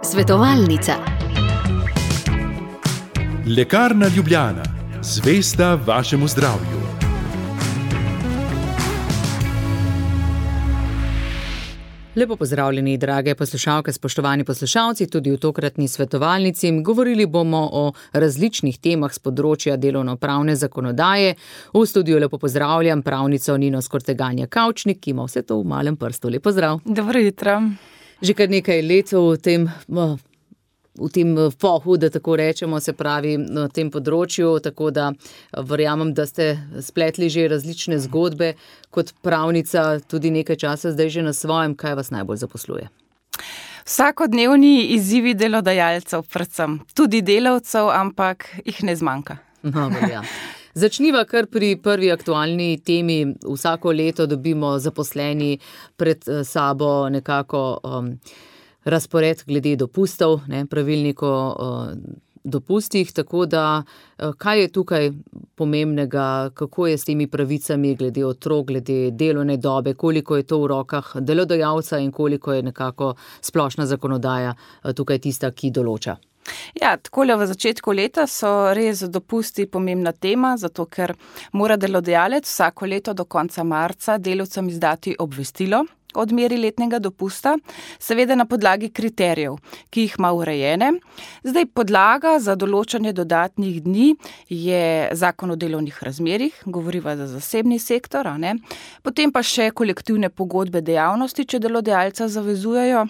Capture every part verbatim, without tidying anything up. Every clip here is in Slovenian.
Svetovalnica. Lekarna Ljubljana. Zvesta vašemu zdravju. Lepo pozdravljeni, drage poslušalke, spoštovani poslušalci, tudi v tokratni svetovalnici. Govorili bomo o različnih temah z področja delovno-pravne zakonodaje. V studiu lepo pozdravljam pravnico Nino Skorteganja Kavčnik, ki ima vse to v malem prstu. Lep pozdrav. Dobro jutro. Že kar nekaj let v tem, v tem pohu, da tako rečemo, se pravi na tem področju, tako da verjamem, da ste spletli že različne zgodbe kot pravnica, tudi nekaj časa zdaj že na svojem. Kaj vas najbolj zaposluje? Vsakodnevni izzivi delodajalcev, predvsem tudi delavcev, ampak jih ne zmanjka. No, ja. Začniva kar pri prvi aktualni temi. Vsako leto dobimo zaposleni pred sabo nekako um, razpored glede dopustov, ne, pravilnik o uh, dopustih, tako da uh, kaj je tukaj pomembnega, kako je s temi pravicami glede otrok, glede delovne dobe, koliko je to v rokah delodajalca in koliko je nekako splošna zakonodaja uh, tukaj tista, ki določa. Ja, takole v začetku leta so res dopusti pomembna tema, zato ker mora delodajalec vsako leto do konca marca delavcem izdati obvestilo o odmeri letnega dopusta, seveda na podlagi kriterijev, ki jih ima urejene. Zdaj, podlaga za določanje dodatnih dni je zakon o delovnih razmerjih, govoriva za zasebni sektor, a ne? Potem pa še kolektivne pogodbe dejavnosti, če delodajalca zavezujejo.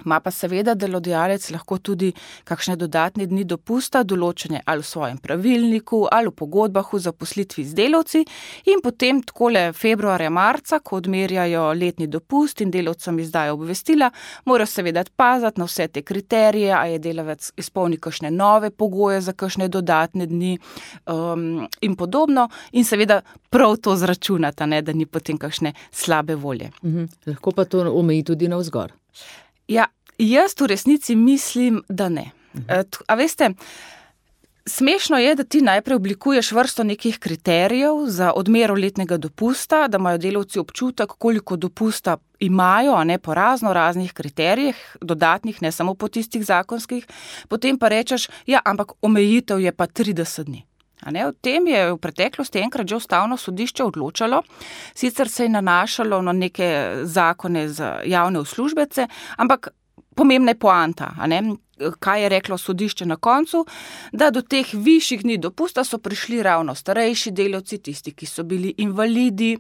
Ma pa seveda delodajalec lahko tudi kakšne dodatne dni dopusta, določene ali v svojem pravilniku, ali v pogodbah v zaposlitvi z delavci in potem takole februarja, marca, ko odmerjajo letni dopust in delavcem izdajo obvestila, morajo seveda paziti na vse te kriterije, a je delavec izpolni kakšne nove pogoje za kakšne dodatne dni um, in podobno in seveda prav to zračunata, ne, da ni potem kakšne slabe volje. Mhm. Lahko pa to omeji tudi navzgor. Ja, jaz v resnici mislim, da ne. A veste, smešno je, da ti najprej oblikuješ vrsto nekih kriterijev za odmero letnega dopusta, da imajo delavci občutek, koliko dopusta imajo, a ne po razno raznih kriterijih, dodatnih, ne samo po tistih zakonskih, potem pa rečeš, ja, ampak omejitev je pa trideset dni. A ne, o tem je v preteklosti enkrat že ustavno sodišče odločalo, sicer se je nanašalo na neke zakone za javne uslužbence, ampak pomembna je poanta, a ne, kaj je reklo sodišče na koncu, da do teh višjih dni dopusta so prišli ravno starejši delavci, tisti, ki so bili invalidi,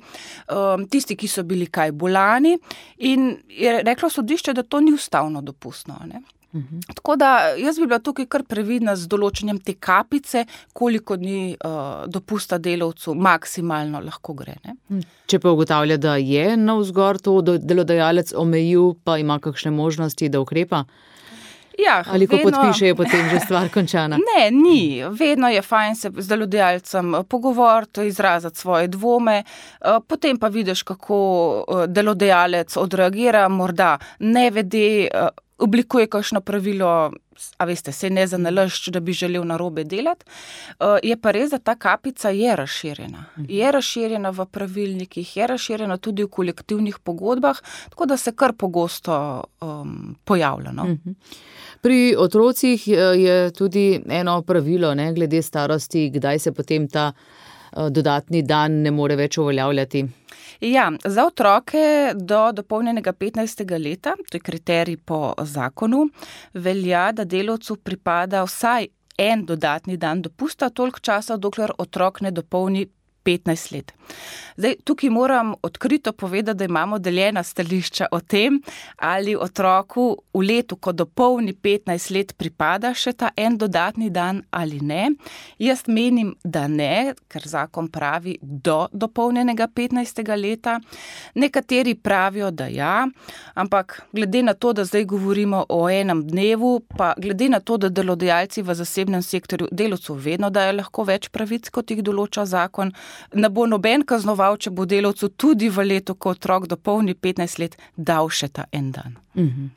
tisti, ki so bili kaj bolani in je reklo sodišče, da to ni ustavno dopustno, a ne. Uhum. Tako da jaz bi bila tukaj kar previdna z določenjem te kapice, koliko dni uh, dopusta delavcu maksimalno lahko gre. Ne? Če pa ugotavlja, da je navzgor to delodajalec omejil, pa ima kakšne možnosti, da ukrepa? Ja, ali ko vedno... podpiše, je potem že stvar končana? Ne, ni. Vedno je fajn se z delodajalcem pogovoriti, izraziti svoje dvome, potem pa vidiš, kako delodajalec odreagira, morda ne vede, oblikuje kakšno pravilo, a veste, se ne zanalašč, da bi želel narobe delati. Je pa res, da ta kapica je razširjena. Je razširjena v pravilnikih, je razširjena tudi v kolektivnih pogodbah, tako da se kar pogosto um, pojavlja. No? Pri otrocih je tudi eno pravilo, ne, glede starosti, kdaj se potem ta dodatni dan ne more več uveljavljati. Ja, za otroke do dopolnjenega petnajstega leta, to je kriterij po zakonu, velja, da delavcu pripada vsaj en dodatni dan dopusta, toliko časa, dokler otrok ne dopolni petnajst let. Zdaj, tukaj moram odkrito povedati, da imamo deljena stališča o tem, ali otroku v letu, ko dopolni petnajst let, pripada še ta en dodatni dan ali ne. Jaz menim, da ne, ker zakon pravi do dopolnjenega petnajstega leta. Nekateri pravijo, da ja, ampak glede na to, da zdaj govorimo o enem dnevu, pa glede na to, da delodajalci v zasebnem sektorju delavcu vedno dajo lahko več pravic, kot jih določa zakon, ne bo noben kaznoval, če bo delavcu tudi v letu, ko otrok dopolni petnajst let, dal še ta en dan. Mhm.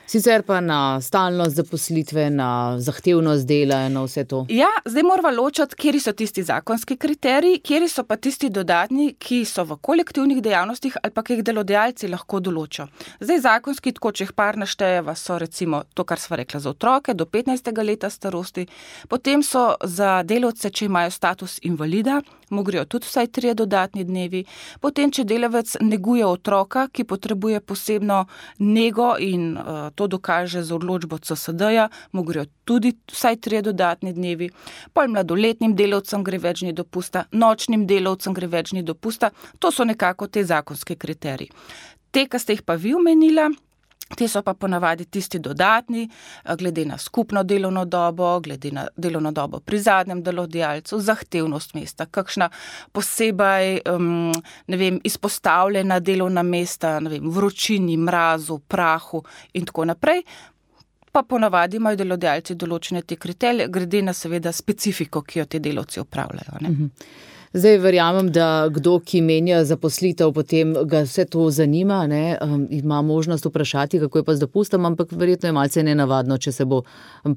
Sicer pa na stalnost zaposlitve, na zahtevnost dela, na vse to. Ja, zdaj moramo ločiti, kjeri so tisti zakonski kriteriji, kjeri so pa tisti dodatni, ki so v kolektivnih dejavnostih ali pa ki jih delodajalci lahko določijo. Zdaj zakonski, tako če jih par naštejeva, so recimo to, kar sva rekla za otroke do petnajstega leta starosti, potem so za delavce, če imajo status invalida, mu grejo tudi vsaj trije dodatni dnevi, potem, če delavec neguje otroka, ki potrebuje posebno nego in uh, to dokaže z odločbo C S D-ja, mu grejo tudi vsaj trije dodatni dnevi, pol mladoletnim delavcem gre več dni dopusta, nočnim delavcem gre več dni dopusta, to so nekako te zakonske kriteriji. Te, ki ste jih pa vi omenila, te so pa ponavadi tisti dodatni, glede na skupno delovno dobo, glede na delovno dobo pri zadnjem delodajalcu, zahtevnost mesta, kakšna posebej um, ne vem, izpostavljena delovna mesta, ne vem, vročini, mrazu, prahu in tako naprej. Pa ponavadi imajo delodajalci določene te kriterije, glede na seveda specifiko, ki jo te delavci opravljajo. Ne? Mhm. Zdaj verjamem, da kdo, ki menja zaposlitev, potem ga vse to zanima, ne, um, ima možnost vprašati, kako je pa z dopustom, ampak verjetno je malce nenavadno, če se bo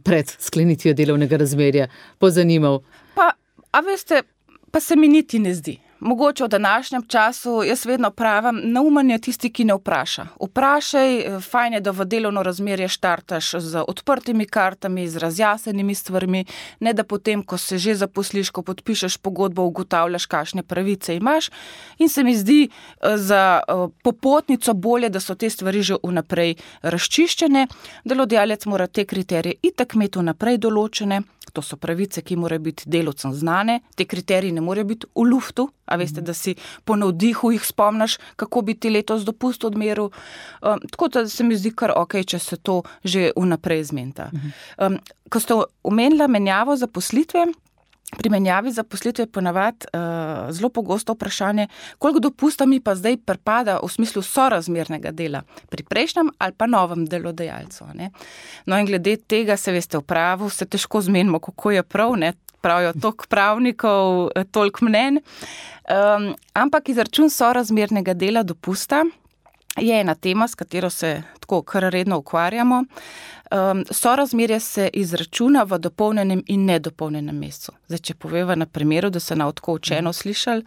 pred sklenitvijo delovnega razmerja pozanimal. Pa, a veste, pa se mi niti ne zdi. Mogoče v današnjem času, jaz vedno pravim, neumen je tisti, ki ne vpraša. Vprašaj, fajn je, da v delovno razmerje štartaš z odprtimi kartami, z razjasnenimi stvarmi, ne da potem, ko se že zaposliš, ko podpišeš pogodbo, ugotavljaš, kakšne pravice imaš. In se mi zdi za popotnico bolje, da so te stvari že vnaprej razčiščene. Delodajalec mora te kriterije itak imeti vnaprej določene. To so pravice, ki morajo biti delavcem znane. Te kriteriji ne morejo biti v luftu, a veste, da si po navdihu jih spomniš, kako bi ti letos dopust odmeril. Um, tako da se mi zdi kar ok, če se to že vnaprej zmenta. Um, ko ste omenila menjavo zaposlitve, pri menjavi zaposlitve je ponavadi uh, zelo pogosto vprašanje, koliko dopusta mi pa zdaj pripada v smislu sorazmernega dela pri prejšnjem ali pa novem delodajalcu. Ne? No in glede tega se veste v pravu, se težko zmenimo, kako je prav, ne? Pravijo toliko pravnikov, toliko mnen. Um, ampak izračun sorazmernega dela dopusta je ena tema, s katero se tako kar redno ukvarjamo. Um, sorazmerje se izračuna v dopolnjenem in nedopolnjenem mesecu. Zdaj, če poveva na primeru, da se na tako učeno slišali,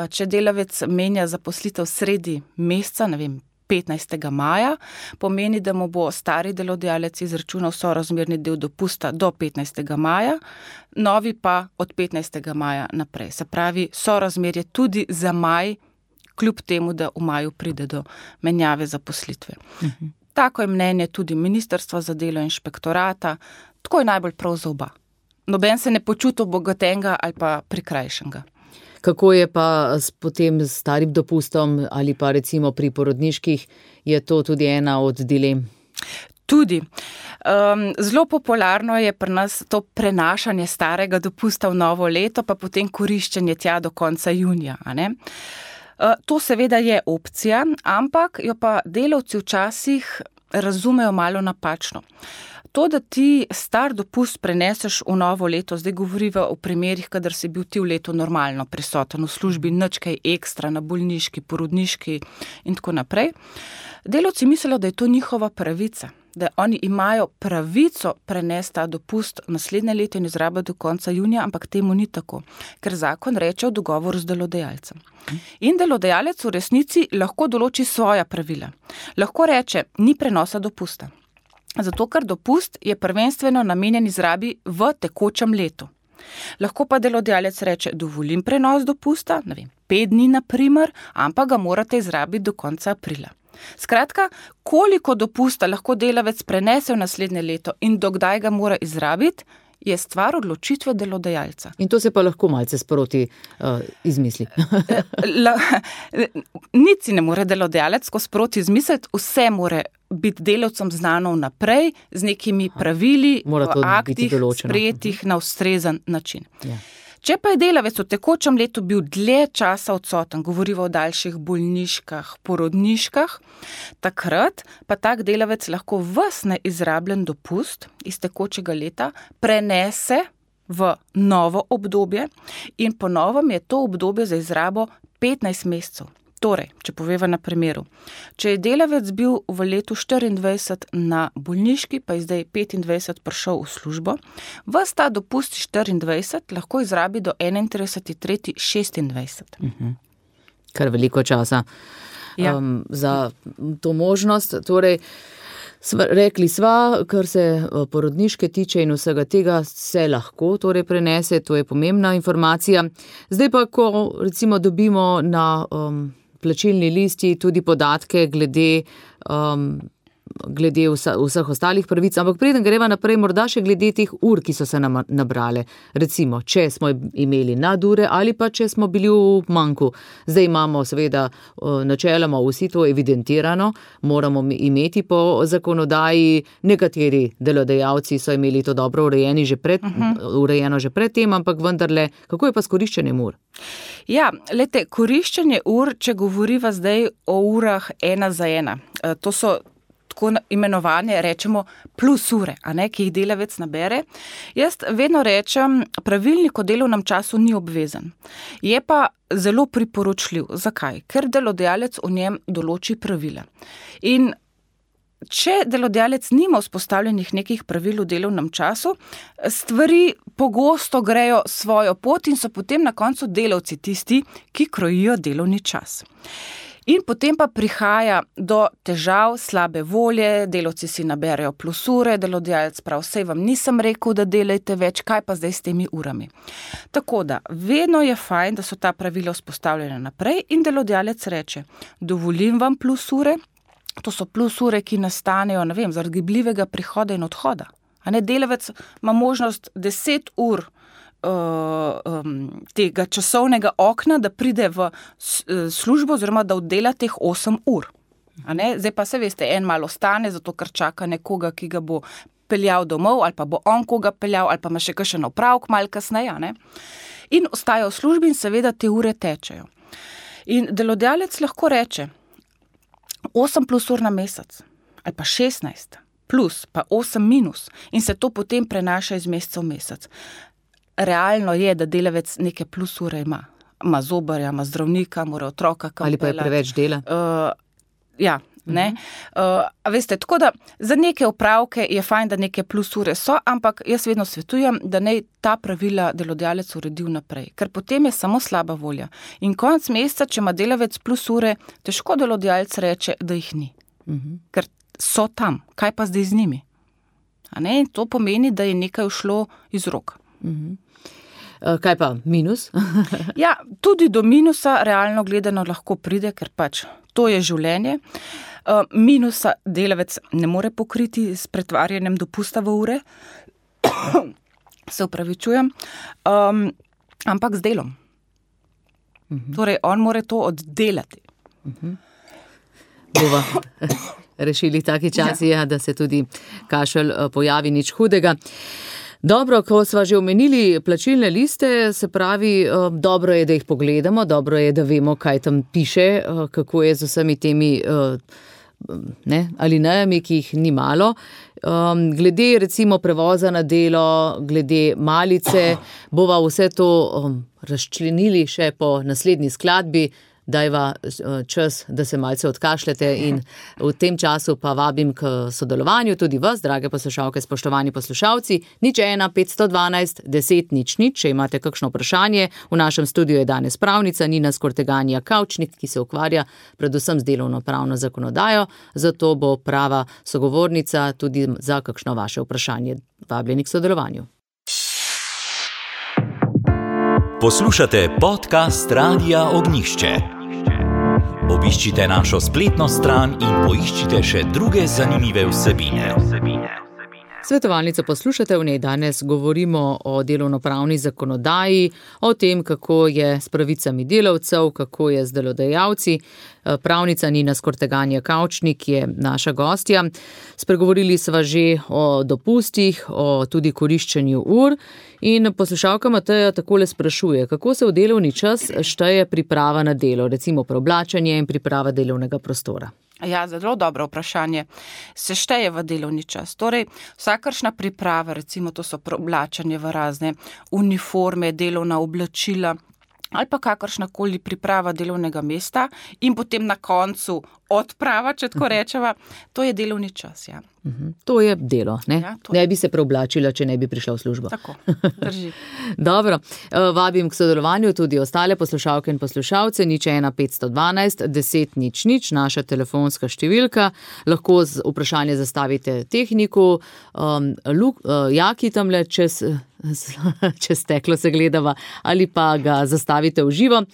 če delavec menja zaposlitev sredi meseca, ne vem, petnajstega maja, pomeni, da mu bo stari delodajalec izračunal sorazmerni del dopusta do petnajstega maja, novi pa od petnajstega maja naprej. Se pravi, sorazmerje tudi za maj, kljub temu, da v maju pride do menjave zaposlitve. Mhm. Tako je mnenje tudi Ministrstva za delo inšpektorata, tako je najbolj prav za oba. Noben se ne počuti obogatenega ali pa prikrajšenega. Kako je pa s potem s starim dopustom ali pa recimo pri porodniških, je to tudi ena od dilem? Tudi. Um, zelo popularno je pri nas to prenašanje starega dopusta v novo leto, pa potem koriščenje tja do konca junija, a ne? To seveda je opcija, ampak jo pa delavci včasih razumejo malo napačno. To, da ti star dopust preneseš v novo leto, zdaj govoriva o primerih, kadar si bil ti v letu normalno prisoten v službi, nič kaj ekstra na bolniški, porodniški in tako naprej. Delavci mislijo, da je to njihova pravica, da oni imajo pravico prenesti ta dopust naslednje leto in izrabiti do konca junija, ampak temu ni tako, ker zakon reče v dogovoru z delodajalcem. In delodajalec v resnici lahko določi svoja pravila. Lahko reče, ni prenosa dopusta. Zato, ker dopust je prvenstveno namenjen izrabi v tekočem letu. Lahko pa delodajalec reče, dovolim prenos dopusta, ne vem, pet dni na primer, ampak ga morate izrabiti do konca aprila. Skratka, koliko dopusta lahko delavec prenese v naslednje leto in dokdaj ga mora izrabiti, je stvar odločitve delodajalca. In to se pa lahko malce sproti uh, izmisli. Nič si ne more delodajalec ko sproti izmisliti, vse more biti delavcem znano vnaprej z nekimi pravili v aktih sprejetih na ustrezen način. Ja. Če pa je delavec v tekočem letu bil dlje časa odsoten, govoriva o daljših bolniškah, porodniškah, takrat pa tak delavec lahko ves neizrabljen dopust iz tekočega leta prenese v novo obdobje in po novem je to obdobje za izrabo petnajst mesecev. Torej, če poveva na primeru, če je delavec bil v letu štiriindvajset na bolniški, pa je zdaj petindvajset prišel v službo, ves ta dopust štiriindvajset lahko izrabi do enaintrideseti tretji šestindvajset. Uh-huh. Kar veliko časa ja. um, za to možnost. Torej, sva, rekli sva, kar se porodniške tiče in vsega tega se lahko torej prenese, to je pomembna informacija. Zdaj pa, ko recimo dobimo na um, plačilni listi tudi podatke glede, um, glede vsa, vseh ostalih pravic, ampak preden greva naprej, morda še glede teh ur, ki so se nam nabrale. Recimo, če smo imeli nadure ali pa če smo bili v manku. Zdaj imamo seveda načeloma vsi to evidentirano, moramo imeti po zakonodaji, nekateri delodajalci so imeli to dobro urejeni že pred, uh-huh. urejeno že pred tem, ampak vendarle, kako je pa s koriščenjem ur? Ja, lete, koriščenje ur, če govoriva zdaj o urah ena za ena, to so tako imenovane, rečemo, plus ure, a ne, ki jih delavec nabere. Jaz vedno rečem, pravilnik o delovnem času ni obvezen. Je pa zelo priporočljiv. Zakaj? Ker delodajalec v njem določi pravila. In če delodajalec nima vzpostavljenih nekih pravil v delovnem času, stvari pogosto grejo svojo pot in so potem na koncu delavci tisti, ki krojijo delovni čas. In potem pa prihaja do težav, slabe volje, delavci si naberejo plus ure, delodajalec prav, sej vam nisem rekel, da delajte več, kaj pa zdaj s temi urami. Tako da, vedno je fajn, da so ta pravila vzpostavljena naprej in delodajalec reče, dovolim vam plus ure, to so plus ure, ki nastanejo, ne vem, zaradi gibljivega prihoda in odhoda. A ne, delavec ima možnost deset ur uh, um, tega časovnega okna, da pride v službo oziroma da oddela teh osem ur. A ne, zdaj pa se veste, en malo ostane, zato ker čaka nekoga, ki ga bo peljal domov, ali pa bo on koga peljal, ali pa ima še kakšen opravek malo kasneje, ne. In ostaja v službi in seveda te ure tečejo. In delodajalec lahko reče, osem plus ur na mesec, ali pa šestnajst plus, pa osem minus in se to potem prenaša iz meseca v mesec. Realno je, da delavec neke plus ure ima. Ima zobarja, ima zdravnika, mora otroka kam ali pa je peljati. preveč dela. Uh, ja, ne. Uh, a veste, tako da za neke opravke je fajn, da neke plus ure so, ampak jaz vedno svetujem, da naj ta pravila delodajalec uredi vnaprej, ker potem je samo slaba volja. In konec meseca, če ima delavec plus ure, težko delodajalec reče, da jih ni. Uh-huh. Ker so tam, kaj pa zdaj z njimi? A ne? To pomeni, da je nekaj ušlo iz rok. Uh-huh. Kaj pa minus? Ja, tudi do minusa realno gledano lahko pride, ker pač to je življenje. Minusa delavec ne more pokriti s pretvarjanjem dopusta v ure, se upravičujem, um, ampak z delom. Uh-huh. Torej, on more to oddelati. Uh-huh. Bova rešili taki časi, ja. Da se tudi kašelj pojavi, nič hudega. Dobro, ko sva že omenili plačilne liste, se pravi, dobro je, da jih pogledamo, dobro je, da vemo, kaj tam piše, kako je z vsemi temi ne, alinejami, ki jih ni malo. Glede recimo prevoza na delo, glede malice, bova vse to razčlenili še po naslednji skladbi. Dajva čas, da se malce odkašljate in v tem času pa vabim k sodelovanju tudi vas, drage poslušalke, spoštovani poslušalci. Nič ena, petsto dvanajst, deset, nič nič, če imate kakšno vprašanje. V našem studiu je danes pravnica Nina Skorteganja Kavčnik, ki se ukvarja predvsem z delovno-pravno zakonodajo, zato bo prava sogovornica tudi za kakšno vaše vprašanje. Vabljeni k sodelovanju. Poslušate podcast Radia Ognjišče. Obiščite našo spletno stran in poiščite še druge zanimive vsebine. Svetovalnico poslušate, v njej danes govorimo o delovnopravni zakonodaji, o tem, kako je s pravicami delavcev, kako je z delodajalci. Pravnica Nina Skorteganja Kavčnik je naša gostja. Spregovorili sva že o dopustih, o tudi koriščenju ur in poslušalka Mateja takole sprašuje, kako se v delovni čas šteje priprava na delo, recimo preoblačenje in priprava delovnega prostora. Ja, zelo dobro vprašanje. Se šteje v delovni čas. Torej, vsakršna priprava, recimo to so preoblačanje v razne uniforme, delovna oblačila, ali pa kakršnakoli priprava delovnega mesta in potem na koncu odprava, če tako rečeva, to je delovni čas, ja. Uh-huh. To je delo, ne? Ja, to ne bi se preoblačila, če ne bi prišla v službo. Tako, drži. Dobro, vabim k sodelovanju tudi ostale poslušalke in poslušalce, nič ena petsto dvanajst deset nič nič, naša telefonska številka, lahko z vprašanje zastavite tehniku, um, Luk, uh, Jaki tamle čez, čez steklo se gledava, ali pa ga zastavite v živo.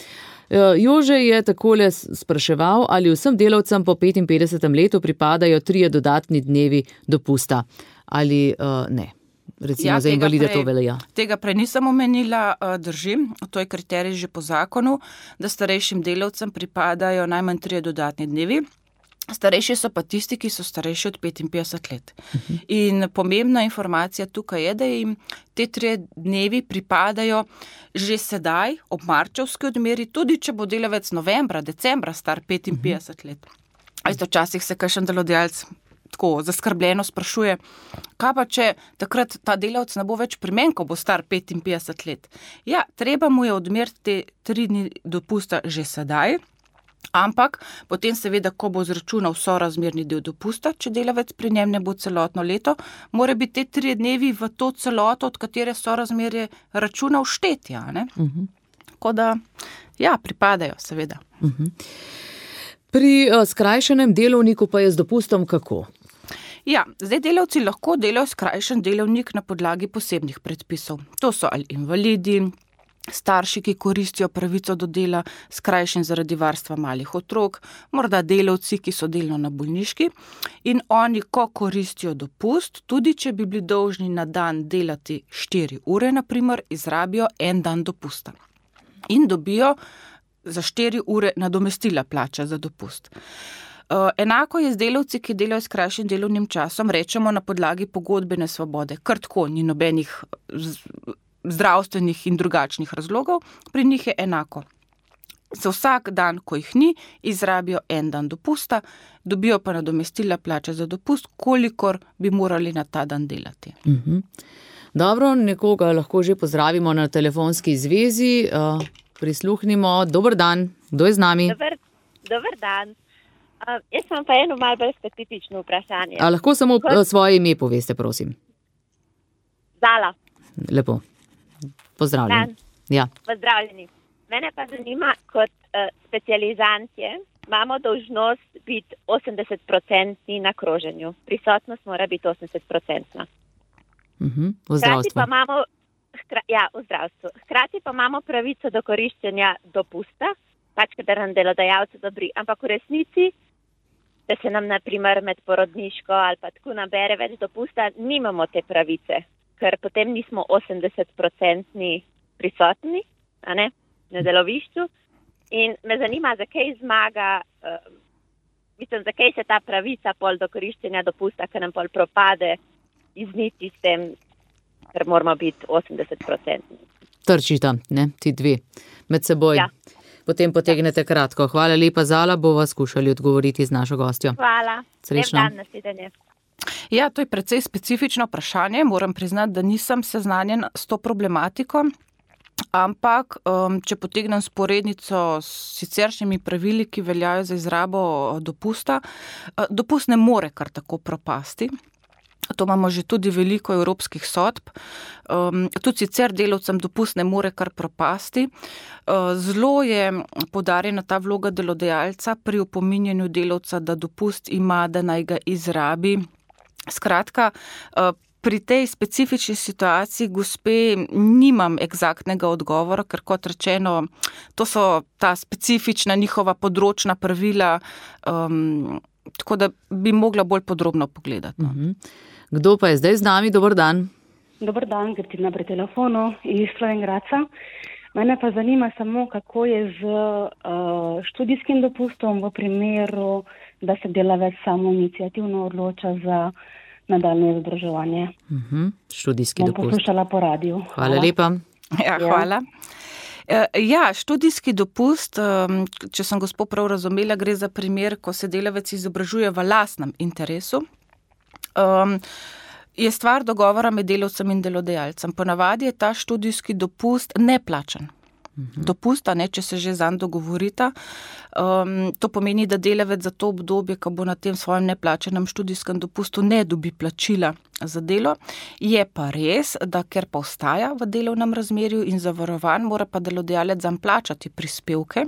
Jože je takole spraševal, ali vsem delavcem po petinpetdesetem letu pripadajo trije dodatni dnevi dopusta, ali uh, ne. Recimo ja, za invalide to velja. Tega prej nisem omenila, držim, to je kriterij že po zakonu, da starejšim delavcem pripadajo najmanj trije dodatni dnevi. Starejši so pa tisti, ki so starejši od petinpetdeset let. Uh-huh. In pomembna informacija tukaj je, da jim te tri dnevi pripadajo že sedaj, ob marčevski odmeri, tudi če bo delavec novembra, decembra star petinpetdeset uh-huh. let. A isto včasih se kakšen delodajalec tako zaskrbljeno sprašuje, kaj pa če takrat ta delavec ne bo več pri meni, ko bo star petinpetdeset let. Ja, treba mu je odmeriti te tri dni dopusta že sedaj, ampak potem seveda, ko bo zračunal sorazmerni del dopusta, če delavec pri njem ne bo celotno leto, mora biti te tri dnevi v to celoto, od katere sorazmerje računal štetja. Uh-huh. Tako da, ja, pripadajo seveda. Uh-huh. Pri uh, skrajšanem delovniku pa je z dopustom kako? Ja, zdaj delavci lahko delajo skrajšen delovnik na podlagi posebnih predpisov. To so ali invalidi, starši, ki koristijo pravico do dela skrajšen zaradi varstva malih otrok, morda delavci, ki so delno na bolniški in oni, ko koristijo dopust, tudi če bi bili dolžni na dan delati štiri ure, na primer, izrabijo en dan dopusta in dobijo za štiri ure nadomestila plača za dopust. Uh, enako je z delavci, ki delajo skrajšen delovnim časom, rečemo na podlagi pogodbene svobode, kar tako ni nobenih z, zdravstvenih in drugačnih razlogov, pri njih je enako. Za vsak dan, ko jih ni, izrabijo en dan dopusta, dobijo pa nadomestila plače za dopust, kolikor bi morali na ta dan delati. Uh-huh. Dobro, nekoga lahko že pozdravimo na telefonski zvezi. Uh, prisluhnimo. Dober dan, kdo je z nami? Dober, dober dan. Uh, jaz sem pa eno malo bolj specifično vprašanje. A lahko samo Kot... svoje ime poveste, prosim? Zala. Lepo. Pozdravljeni. Ja. Pozdravljeni. Mene pa zanima, kot uh, specializantje imamo dolžnost biti osemdeset procentni na kroženju. Prisotnost mora biti osemdeset procentna. Uh-huh. V zdravstvu. Pa imamo, hkra, ja, v zdravstvu. Hkrati pa imamo pravico do koriščenja dopusta, pač kadar nam delodajalce dobri, ampak v resnici, da se nam na primer med porodniško ali pa tako nabere več dopusta, nimamo te pravice, ker potem nismo osemdeset procentni prisotni, a ne, na delovišču. In me zanima, zakaj zmaga, uh, mislim, zakaj se ta pravica pol do koriščenja dopusta, ker nam pol propade izniti s tem, ker moramo biti osemdeset procentni. Trčita, ne, ti dve med seboj. Ja. Potem potegnete kratko. Hvala lepa, Zala, bova skušali odgovoriti z našo gostjo. Hvala. Srečno. Lep dan, nasvidenje. Ja, to je precej specifično vprašanje. Moram priznati, da nisem seznanjen s to problematiko, ampak um, če potegnem sporednico s siceršnjimi pravili, ki veljajo za izrabo dopusta, dopust ne more kar tako propasti. To imamo že tudi veliko evropskih sodb. Um, tudi sicer delavcem dopust ne more kar propasti. Uh, zelo je poudarjena ta vloga delodajalca pri opominjanju delavca, da dopust ima, da naj ga izrabi. Skratka, uh, pri tej specifični situaciji, gospe, nimam eksaktnega odgovora, ker kot rečeno, to so ta specifična njihova področna pravila, um, tako da bi mogla bolj podrobno pogledati. No. Uh-huh. Kdo pa je zdaj z nami? Dobar dan. Dobar dan, Gertina pri telefonu iz Slovenj Gradca. Mene pa zanima samo, kako je z uh, študijskim dopustom v primeru, da se delavec samo iniciativno odloča za nadaljnje izobraževanje. Uh-huh. Študijski Bom dopust. Poslušala po radiju. Hvala, Hvala lepa. Ja, hvala. Ja, študijski dopust, če sem gospod prav razumela, gre za primer, ko se delavec izobražuje v lastnem interesu. Um, je stvar dogovora med delavcem in delodajalcem. Ponavadi je ta študijski dopust neplačan. dopusta, ne, če se že zanj dogovorita. Um, to pomeni, da delavec za to obdobje, ko bo na tem svojem neplačenem študijskem dopustu, ne dobi plačila za delo. Je pa res, da ker pa ostaja v delovnem razmerju in zavarovan, mora pa delodajalec zanj plačati prispevke.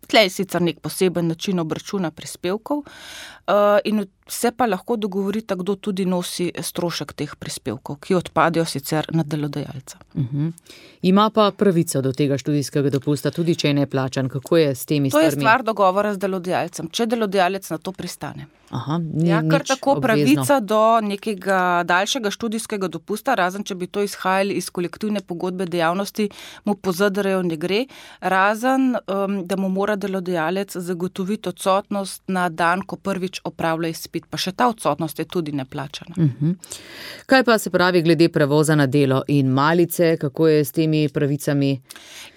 Tle je sicer nek poseben način obračuna prispevkov uh, in se pa lahko dogovorita, kdo tudi nosi strošek teh prispevkov, ki odpadejo sicer na delodajalca. Uh-huh. Ima pa pravico do tega študijskega dopusta, tudi če je neplačan. Kako je s temi stvarmi? To je stvar dogovora z delodajalcem, če delodajalec na to pristane. Aha, ni ja, kar nič tako obvezno. Pravica do nekega daljšega študijskega dopusta, razen če bi to izhajali iz kolektivne pogodbe dejavnosti, mu po Z D R-ju ne gre, razen um, da mu mora delodajalec zagotoviti odsotnost na dan, ko prvič opravlja izpit, pa še ta odsotnost je tudi neplačana. Uh-huh. Kaj pa se pravi glede prevoza na delo in malice, kako je s temi pravicami?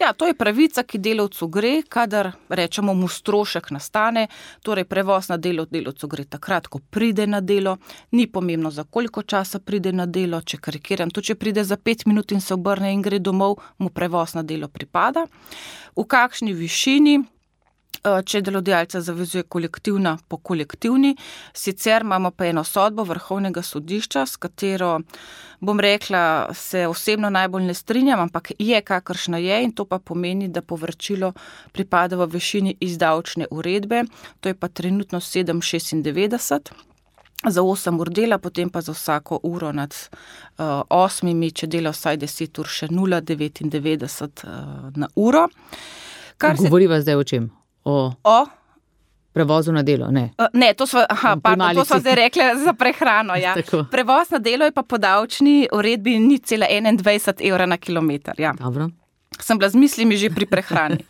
Ja, to je pravica, ki delavcu gre, kadar rečemo mu strošek nastane, torej prevoz na delo delavcu gre takrat, ko pride na delo, ni pomembno, za koliko časa pride na delo, če karikiram, to če pride za pet minut in se obrne in gre domov, mu prevoz na delo pripada. V kakšni višini, če delodajalca zavezuje kolektivna po kolektivni, sicer imamo pa eno sodbo Vrhovnega sodišča, s katero, bom rekla, se osebno najbolj ne strinjam, ampak je kakršna je in to pa pomeni, da povračilo pripada v višini iz davčne uredbe, to je pa trenutno sedem šestindevetdeset za osem ur dela, potem pa za vsako uro nad uh, osmimi, če dela vsaj deset ur, še nula devetindevetdeset uh, na uro. Kar Govoriva se... zdaj o čem? O, o prevozu na delo, ne? Uh, ne, to smo, aha, pardon, to smo zdaj rekli za prehrano. Ja. Prevoz na delo je pa po davčni uredbi nič cela enaindvajset evra na kilometer. Ja. Dobro. Sem bila z mislimi že pri prehrani.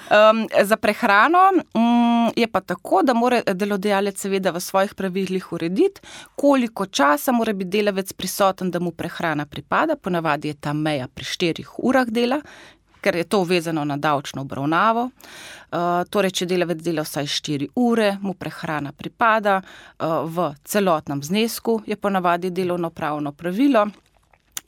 Um, za prehrano um, je pa tako, da mora delodajalec seveda v svojih pravilih urediti, koliko časa mora biti delavec prisoten, da mu prehrana pripada. Ponavadi je ta meja pri štirih urah dela, ker je to vezano na davčno obravnavo. Uh, torej, če delavec dela vsaj štiri ure, mu prehrana pripada uh, v celotnem znesku, je ponavadi delovnopravno pravilo.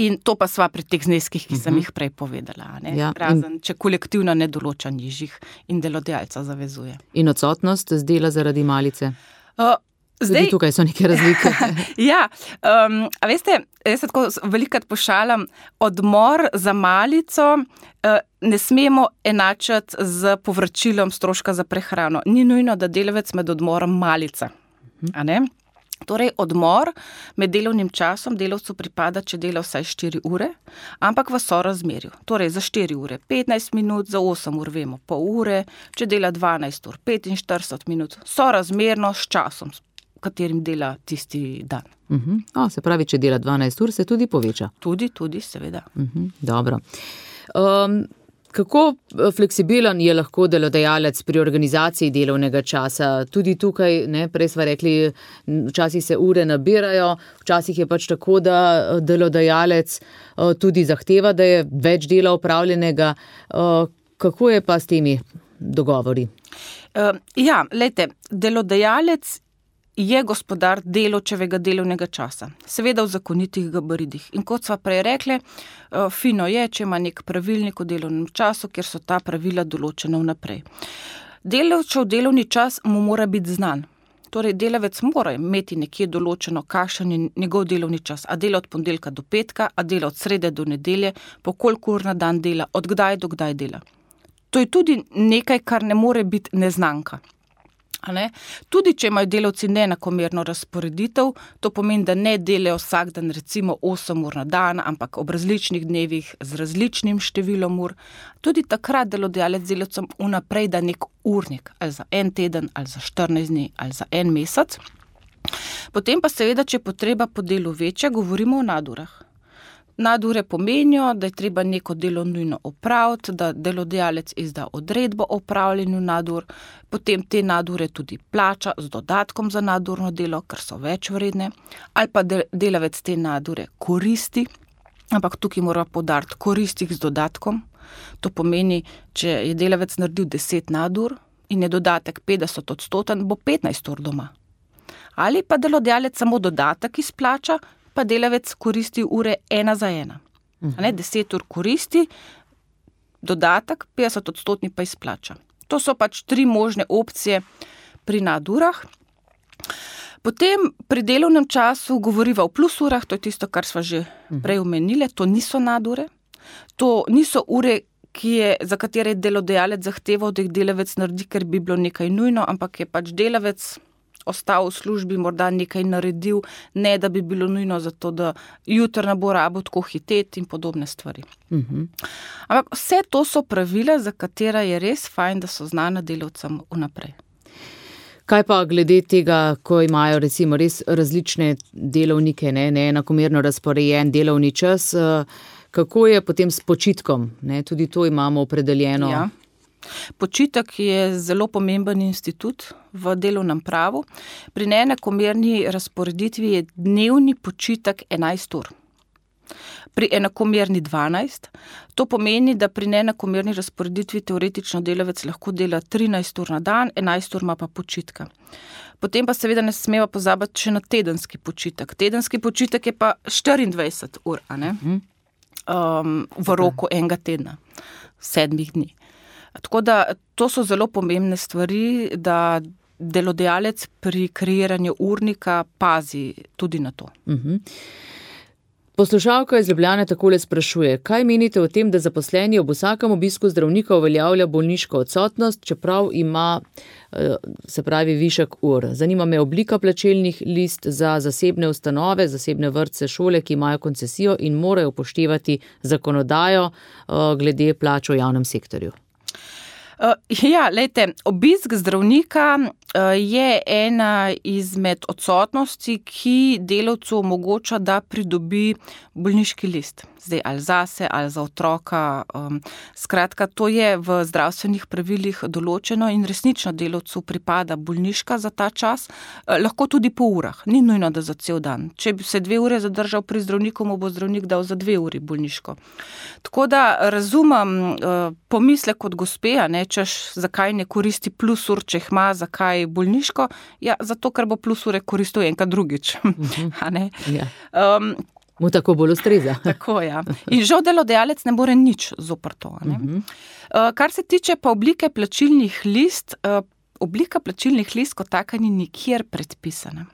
In to pa sva pri teh zneskih, ki sem jih prej povedala. Ne? Ja, razen, in... če kolektivno ne določa nižjih in delodajalca zavezuje. In odsotnost z dela zaradi malice? Uh, Zdaj, tudi tukaj so neke razlike. ja, um, a veste, jaz se tako velikokrat pošalam, odmor za malico uh, ne smemo enačati z povračilom stroška za prehrano. Ni nujno, da delavec med odmorom malica. A ne? Torej, odmor med delovnim časom delavcu pripada, če dela vsaj štiri ure, ampak v sorazmerju. Torej, za štiri ure petnajst minut, za osem ur vemo pol ure, če dela dvanajst ur petinštirideset minut, sorazmerno s časom, katerim dela tisti dan. Uh-huh. O, se pravi, če dela dvanajst ur, se tudi poveča. Tudi, tudi, seveda. Uh-huh. Dobro. Um, kako fleksibilen je lahko delodajalec pri organizaciji delovnega časa? Tudi tukaj, ne, prej sva rekli, včasih se ure nabirajo, včasih je pač tako, da delodajalec uh, tudi zahteva, da je več dela opravljenega. Uh, kako je pa s temi dogovori? Uh, ja, lejte, delodajalec je gospodar delavčevega delovnega časa, seveda v zakonitih gabaritih. In kot sva prej rekli, fino je, če ima nek pravilnik o delovnem času, kjer so ta pravila določena vnaprej. Delavčev delovni čas mu mora biti znan. Torej, delavec mora imeti nekje določeno, kakšen je njegov delovni čas. A dela od ponedeljka do petka, a dela od srede do nedelje, po koliko ur na dan dela, od kdaj do kdaj dela. To je tudi nekaj, kar ne more biti neznanka. Ne? Tudi, če imajo delavci neenakomerno razporeditev, to pomeni, da ne delajo vsak dan recimo osem ur na dan, ampak ob različnih dnevih z različnim številom ur. Tudi takrat delodajalec delavcem vnaprej da nek urnik, ali za en teden, ali za štirinajst dni, ali za en mesec. Potem pa seveda, če je potreba po delu večja, govorimo o nadurah. Nadure pomenijo, da je treba neko delo nujno opraviti, da delodajalec izda odredbo o opravljanju nadur, potem te nadure tudi plača z dodatkom za nadurno delo, ker so več vredne, ali pa delavec te nadure koristi, ampak tukaj mora poudariti koristih z dodatkom. To pomeni, če je delavec naredil deset nadur in je dodatek petdeset odstoten, bo petnajst ur doma. Ali pa delodajalec samo dodatek izplača, pa delavec koristi ure ena za ena. Uh-huh. Ne, deset ur koristi, dodatek, petdeset odstotni pa izplača. To so pač tri možne opcije pri nadurah. Potem pri delovnem času govoriva o plus urah, to je tisto, kar sva že prej omenile, to niso nadure, to niso ure, ki je, za katere je delodajalec zahteval, da jih delavec naredi, ker bi bilo nekaj nujno, ampak je pač delavec ostal v službi, morda nekaj naredil, ne da bi bilo nujno za to, da jutri ne bo rabo tako hiteti in podobne stvari. Uh-huh. Ampak vse to so pravila, za katera je res fajn, da so znana delavcem vnaprej. Kaj pa glede tega, ko imajo recimo res različne delovnike, ne, neenakomerno razporejen delovni čas, kako je potem s počitkom? Ne, tudi to imamo opredeljeno. Ja. Počitek je zelo pomemben institut v delovnem pravu. Pri neenakomerni razporeditvi je dnevni počitek enajst ur. Pri enakomerni dvanajst. To pomeni, da pri neenakomerni razporeditvi teoretično delavec lahko dela trinajst ur na dan, enajst ur ima pa počitka. Potem pa seveda ne smeva pozabiti še na tedenski počitek. Tedenski počitek je pa štiriindvajset ur, a ne? Um, v roku enega tedna, sedmih dni. Tako da to so zelo pomembne stvari, da delodajalec pri kreiranju urnika pazi tudi na to. Uh-huh. Poslušalka iz Ljubljane takole sprašuje, kaj menite o tem, da zaposleni ob vsakem obisku zdravnika uveljavlja bolniško odsotnost, čeprav ima, se pravi, višek ur. Zanima me oblika plačilnih list za zasebne ustanove, zasebne vrtce, šole, ki imajo koncesijo in morajo upoštevati zakonodajo glede plač v javnem sektorju. Uh, ja, lejte, obisk zdravnika uh, je ena izmed odsotnosti, ki delavcu omogoča, da pridobi bolniški list. Zdaj, ali zase, ali za otroka. Um, skratka, to je v zdravstvenih pravilih določeno in resnično delavcu pripada bolniška za ta čas, uh, lahko tudi po urah, ni nujno, da za cel dan. Če bi se dve ure zadržal pri zdravniku, mu bo zdravnik dal za dve uri bolniško. Tako da razumem uh, pomislek od gospeja, ne, češ, zakaj ne koristi plus ur, če ima, zakaj bolniško? Ja, zato, ker bo plus ure koristil enkrat drugič. Uh-huh. A ne? Ja. Um, Mu tako bolj ustreza. Tako, ja. In žal delodajalec ne more nič zoper to. Ne? Uh-huh. Uh, kar se tiče pa oblike plačilnih list, uh, oblika plačilnih list kot taka ni nikjer predpisana.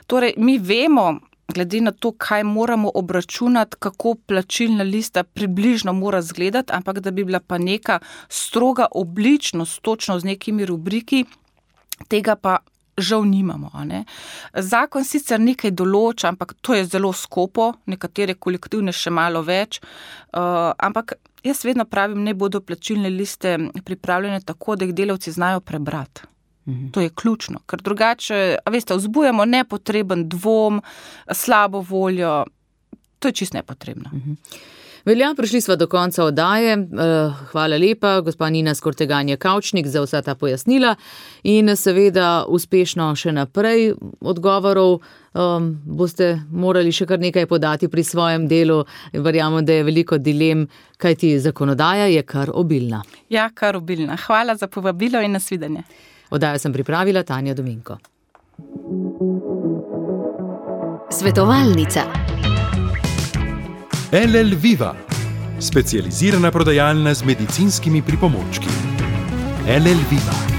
Torej, mi vemo, glede na to, kaj moramo obračunati, kako plačilna lista približno mora izgledati, ampak da bi bila pa neka stroga obličnost, točno z nekimi rubriki, tega pa žal nimamo. A ne? Zakon sicer nekaj določa, ampak to je zelo skopo, nekatere kolektivne še malo več, uh, ampak jaz vedno pravim, ne bodo plačilne liste pripravljene tako, da jih delavci znajo prebrati. To je ključno, ker drugače, a veste, vzbujamo nepotreben dvom, slabo voljo, to je čisto nepotrebno. Velja, prišli sva do konca oddaje. Hvala lepa, gospa Nina Skorteganje-Kavčnik, za vsa ta pojasnila in seveda uspešno še naprej odgovorov. Um, boste morali še kar nekaj podati pri svojem delu. Verjamem, da je veliko dilem, kajti zakonodaja je kar obilna. Ja, kar obilna. Hvala za povabilo in nasvidenje. Oddajo sem pripravila Tanja Dominko. Svetovalnica. L L Viva, specializirana prodajalna z medicinskimi pripomočki. L L Viva.